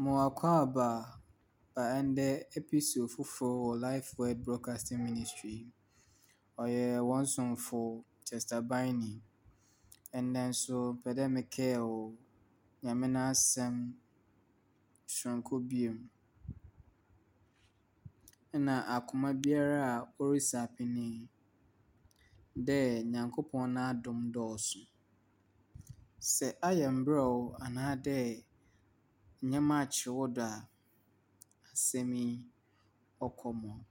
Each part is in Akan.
Mo akwaaba ba ndɛ episode fofor wɔ Life Word Broadcasting Ministry. Ɔyɛ hɔn somfo Chester Biney. Ndɛ nso mepɛ dɛ mekaa wo Nyame n'asɛm soronko bio. Nna akoma biara a orisi apini dɛ Nyankopɔn n'adom dɔɔso. Sɛ ayɛ mberɛw anaadɛ ndzɛmba akyer wo do a, asɛm yi ɔkɔ ma wo.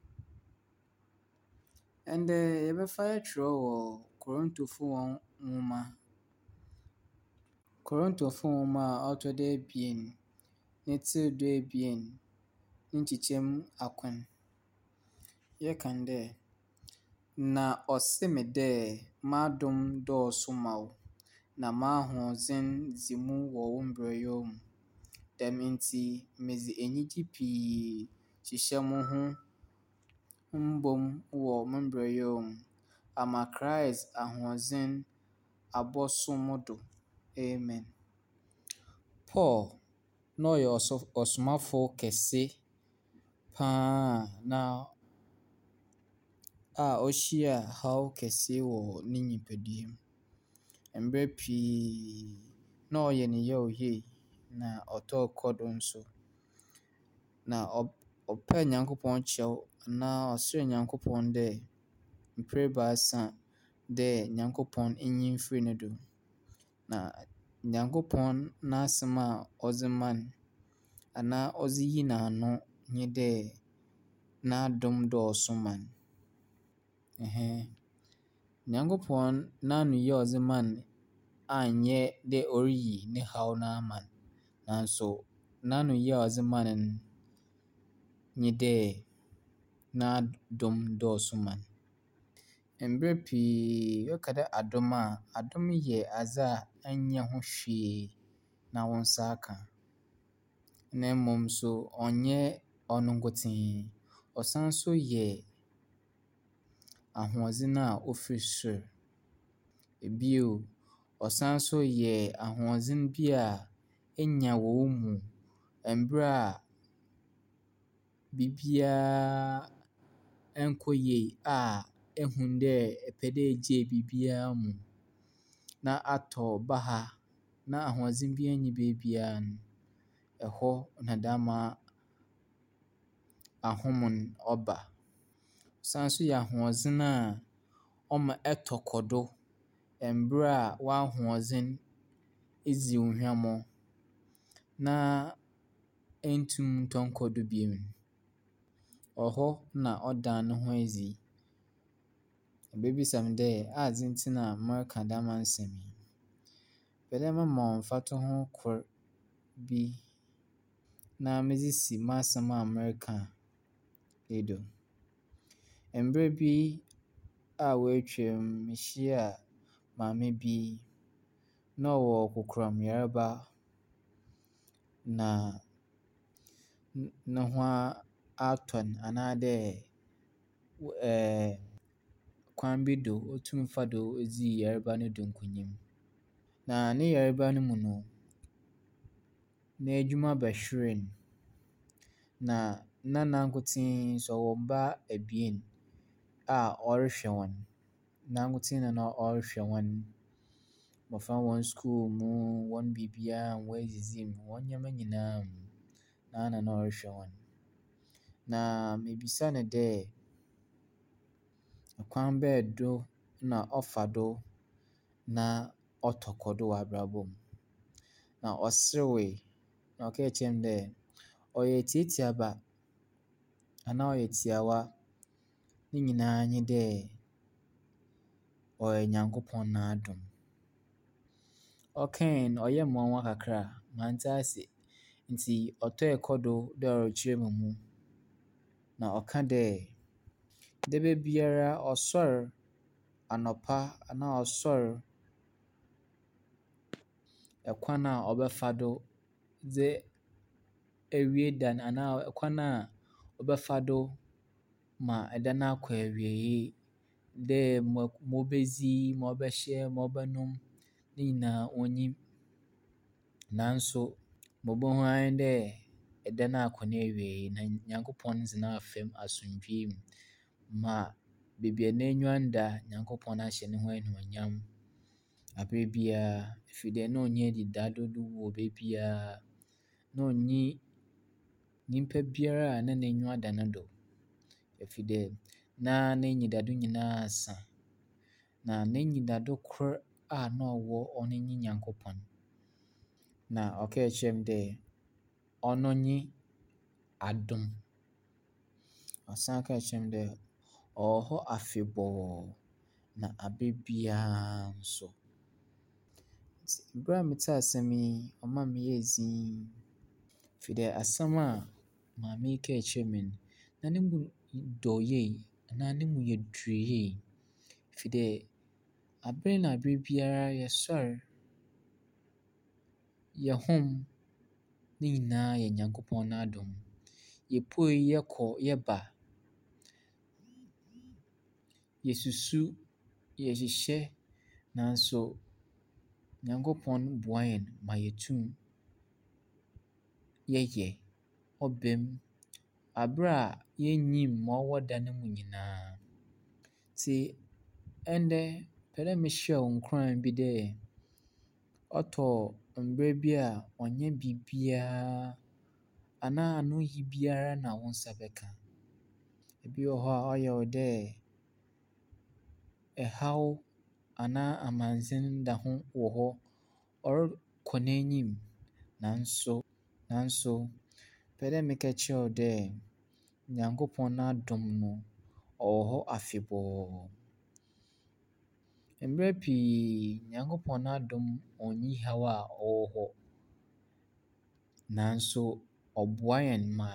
Ndɛ yɛbɛfa kyerɛw wɔ Korontofo hɔn nwoma, Korontofo nwoma a ɔtɔ do ebien ne tsir 12 ne nkyekyɛmu akron. Yɛkan dɛ, Na ɔse me dɛ, m'adom dɔɔso ma wo, na m'ahoɔdzen dzi mu wɔ wo mberɛwyɛ mu. Dɛm ntsi, medze enyigye pii hyehyɛ mo ho mbom wɔ mo mberɛwyɛ mu, ama Christ ahoɔdzen abɔso mo do. Amen. Paul na ɔyɛ ɔsomafo kɛse paa na a ohyia haw kɛse wɔ ne nyimpadua mu. Mber pii na ɔyɛ no yaw yie na ɔtɔɔ kɔ do nso. Na ɔpɛɛ Nyankopɔn kyɛw anaa ɔserɛɛ Nyankopɔn dɛ mprɛ ebiasa dɛ Nyankopɔn nyi mfir no do. Na Nyankopɔn n'asɛm a ɔdze maa no anaa ɔdze yii n'ano nye dɛ n'adom dɔɔso ma no. Ɛhɛn. Nyankopɔn n'anoyi a ɔdze maa no annyɛ dɛ oriyi ne haw no ama no, naaso n'anoyi a ɔdze maa no no nye dɛ n'adom dɔɔso ma no. Mber pii yɛka dɛ adom a, adom yɛ adze a ennyɛ ho hwee na wo nsa aka. Na mbom so ɔnnyɛ ɔno nkotsee, ɔsan so yɛ ahoɔdzen a ofir sor. Bio, ɔsan so yɛ ahoɔdzen bi a enya wɔ wo mu mber a biribiara nnkɔ yie a ehu dɛ epɛ dɛ egyaa biribiara mu na atɔ baha na ahoɔdzen biara nnyi beebiara no, ɛhɔ na dɛm ahom no ɔba. Ɔsan so yɛ ahoɔdzen a ɔma ɛtɔ kɔ do mber a w'ahoɔdzen edzi wo hwammɔ na enntum nntɔ nnkɔ do bio no. Ɔhɔ na ɔda no ho edzi. Ibebisa me dɛ adze ntsi na mereka dɛm nsɛm yi. Mepɛ dɛ mema wo mfatoho kor bi na medze si m'asɛm a mereka yi do. Mber bi a woetwa mu, mihyia maame bi na ɔwɔ kokoram yarba na no ho atɔ no anaadɛ kwan bi do otum fa do dzii yarba no do nkonyim. Na ne yarba no mu no, n'edwuma bɛhweree no, na na nankotsee so ɔwɔ mba ebien a ɔrohwɛ hɔn. Nankotsee na na ɔrohwɛ hɔn. Mbofra hɔn skuul mu, hɔn biribiara, hɔn edzidzi mu, hɔn ndzɛmba nyinaa mu, noara na ɔrohwɛ hɔn. Na mibisa no dɛ kwan bɛn do na ɔfa do na ɔtɔ kɔ do wɔ abrabɔ mu. Na ɔserewee na ɔkaa kyerɛɛ me dɛ ɔyɛ tsiatsiaba anaa ɔyɛ tsiawa, ne nyinaa nye dɛ ɔyɛ Nyankopɔn n'adom. Ɔkae no, ɔyɛɛ me nwanwa kakra, manntse ase. Ntsi ɔtɔe kɔ do dɛ ɔrekyerɛ me mu. Na ɔka dɛ, da biara ɔsoɛr anɔpa anaa ɔsoɛr kwan a ɔbɛfa do dze ewie da no anaa kwan a ɔbɛfa do ma da no akɔ ewiei dɛ ma obedzi, ma ɔbɛhyɛ, ma ɔbɔnom ne nyinaa onnyim. Naaso ma obohu ara nye dɛ. Da no akɔ n'ewiei na Nyankopɔn dze no afa mu asomdwee mu ma beebi a n'enyiwa nnda, Nyankopɔn ahyɛ no ho enyimnyam aber biara firi dɛ na onnyi enyidado do wɔ beebiara. Na onnyi nyimpa biara a na n'enyiwa da no do ɛfiri dɛ na n'enyidado nyinaa asa. Na n'enyidado kor a na ɔwɔ ɔno nye Nyankopɔn. Na ɔkaa kyerɛɛ me dɛ ɔno nye adom. Ɔsan kaa kyerɛɛ me dɛ ɔwɔ hɔ afebɔɔ na aber biara nso. Ntsi ber a metsee asɛm yi, ɔmaa meyɛɛ dzinn firi dɛ asɛm a maame yi kaa kyerɛɛ me no, na no mu dɔ yie anaa no mu yɛ dur yie. Firi dɛ aber na aber biara yɛsoɛr, yɛhom, ne nyinaa yɛ Nyankopɔn n'adom. Yepue yɛkɔ yɛba, yesusu, yɛhyehyɛ, naaso Nyankopɔn boa hɛn ma yetum yɛyɛ. Ɔba mu aber a yennyim ma ɔwɔ da no mu nyinaa. Ntsi ndɛ, mepɛ dɛ mehyɛ wo nkuran bi dɛ ɔtɔ mber bi a ɔnnyɛ biribiara anaa anoyi biara na wo nsa bɛka. Bi wɔ hɔ a ɔyɛ wo dɛ ɛhaw anaa amandze da ho wɔ hɔ, ɔrokɔ n'enyim nanso mepɛ dɛ meka kyerɛ wo dɛ Nyankopɔn n'adom no, ɔwɔ hɔ afebɔɔ. Mberɛ pii, Nyankopɔn n'adom onnyi haw a ɔwɔ hɔ, nanso ɔboa hɛn ma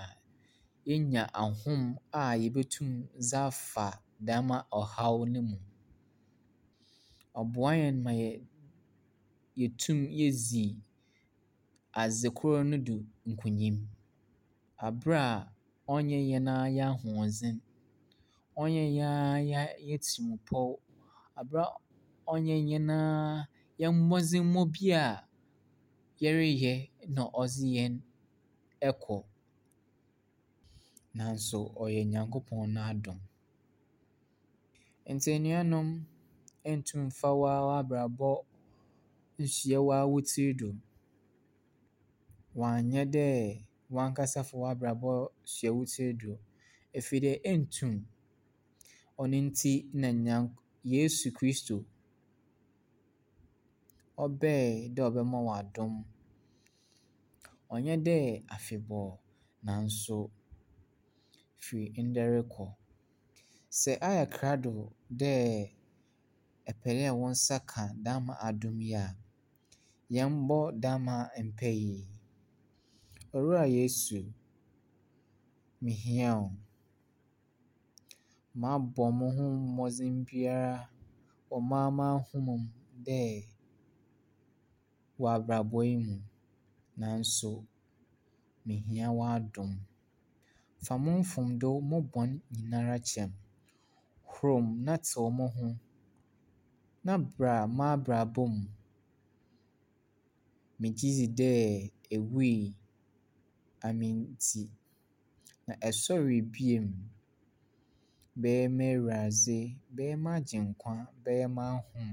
yenya ahom a yebotum dze afa dɛm ɔhaw no mu. Ɔboa hɛn ma yetum yedzi adze kor no do nkunyim aber a ɔnnyɛ hɛn ara hɛn ahoɔdzen, ɔnnyɛ hɛn ara hɛn tsirmpɔw, aber a ɔnnyɛ hɛn ara hɛn mbɔdzembɔ bi a yɛreyɛ na ɔdze hɛn kɔ, naaso ɔyɛ Nyankopɔn n'adom. Ntsi enuanom, nntum mmfa woara w'abrabɔ nnsoa woara wo tsir do. Ɔannyɛ dɛ wankasa fa w'abrabɔ soa wo tsir do, ɛfiri dɛ enntum. Ɔno ntsi na Yesu Kristo ɔbae dɛ ɔbɛma wo adom. Ɔnnyɛ dɛ afebɔɔ, naaso firi ndɛ rokɔ. Sɛ ayɛ krado dɛ epɛ dɛ wo nsa ka dɛm adom yi a, yɛmbɔ dɛm mpaa yi. Owura Yesu, mihia wo. Mabɔ mo ho mbɔdzen biara wɔ maa m'ahom mu dɛ wɔ abrabɔ yi mu, naaso mihia w'adom. Fa mo mfomdo, mo bɔn nyinara kyɛ me. Hor me na tsew mo ho na bra m'abrabɔ mu. Megye dzi dɛ ewui ame ntsi, na ɛsoɛree bio. Bɛyɛ m'Ewuradze, bɛyɛ m'Agyenkwa, bɛyɛ m'ahom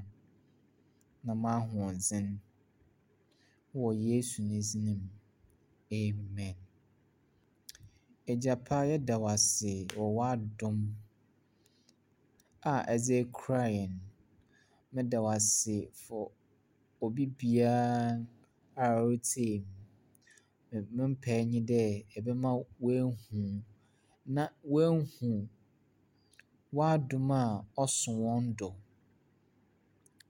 na m'ahoɔdzen. Wɔ Yesu ne dzin mu, amen. Egya pa, yɛda wo ase wɔ w'adom a ɛdze ekura hɛn. Meda wo ase for obi biara a oritsie me. Me mpae nye dɛ ebɛma woehu na woehu w'adom a ɔso hɔn do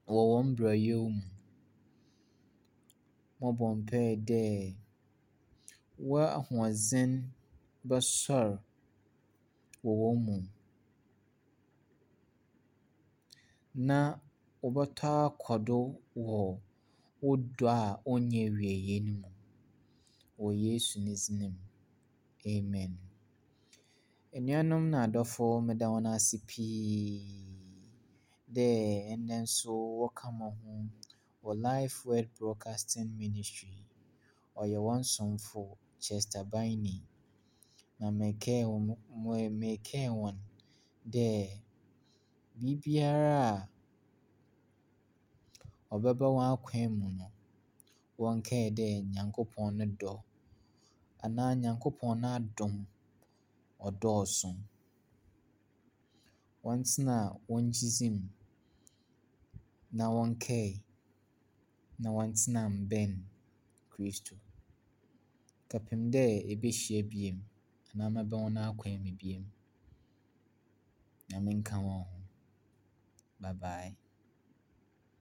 wɔ hɔn brɛyɛ mu. Mobɔ mpae dɛ w'ahoɔdzen bɛsoɛr wɔ hɔn mu na wɔbɔtɔ akɔ do wɔ wo dɔ a onnyi ewiei no mu. Wɔ Yesu ne dzin mu, amen. Enuanom na adɔfo, meda hɔn ase pii dɛ ndɛ nso wɔka mo ho wɔ Life Word Broadcasting Ministry. Ɔyɛ wɔn somfo. Chester Biney. Na merekɛɛ hɔn merekɛɛ hɔn dɛ biribiara a ɔbɛba hɔn akwan mu no, wɔnkae dɛ Nyankopɔn no dɔ anaa Nyankopɔn n'adom ɔdɔɔso. Wɔntsena hɔn gyedzi mu na wɔnkae na wɔntsena mbɛn Kristo. Kɛpem dɛ yebehyia bio anaa mɛba hɔn akwan mu bio. Nyame nka hɔn ho. Bye bye.